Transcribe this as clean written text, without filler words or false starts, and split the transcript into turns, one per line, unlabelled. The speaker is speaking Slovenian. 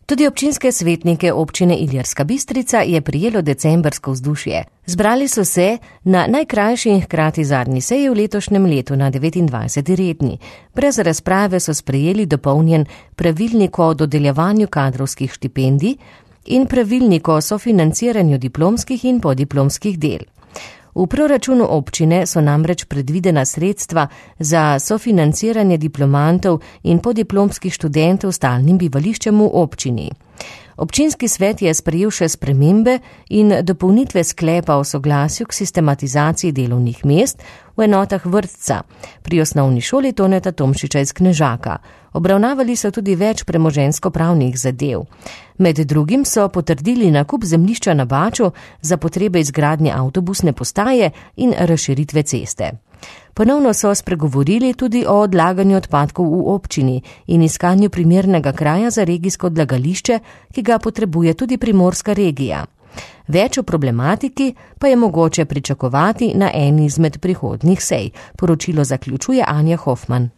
Tudi občinske svetnike občine Ilirska Bistrica je prijelo decembrsko vzdušje. Zbrali so se na najkrajši in hkrati zadnji seji v letošnjem letu na 29. redni. Brez razprave so sprejeli dopolnjen pravilnik o dodeljevanju kadrovskih štipendij in pravilnik o sofinanciranju diplomskih in podiplomskih del. V proračunu občine so namreč predvidena sredstva za sofinanciranje diplomantov in podiplomskih študentov s stalnim bivališčem v občini. Občinski svet je sprejel še spremembe in dopolnitve sklepa o soglasju k sistematizaciji delovnih mest v enotah vrtca pri osnovni šoli Toneta Tomšiča iz Knežaka. Obravnavali so tudi več premoženjsko-pravnih zadev. Med drugim so potrdili nakup zemljišča na Baču za potrebe izgradnje avtobusne postaje in razširitve ceste. Ponovno so spregovorili tudi o odlaganju odpadkov v občini in iskanju primernega kraja za regijsko odlagališče, ki ga potrebuje tudi primorska regija. Več o problematiki pa je mogoče pričakovati na eni izmed prihodnjih sej, poročilo zaključuje Anja Hofman.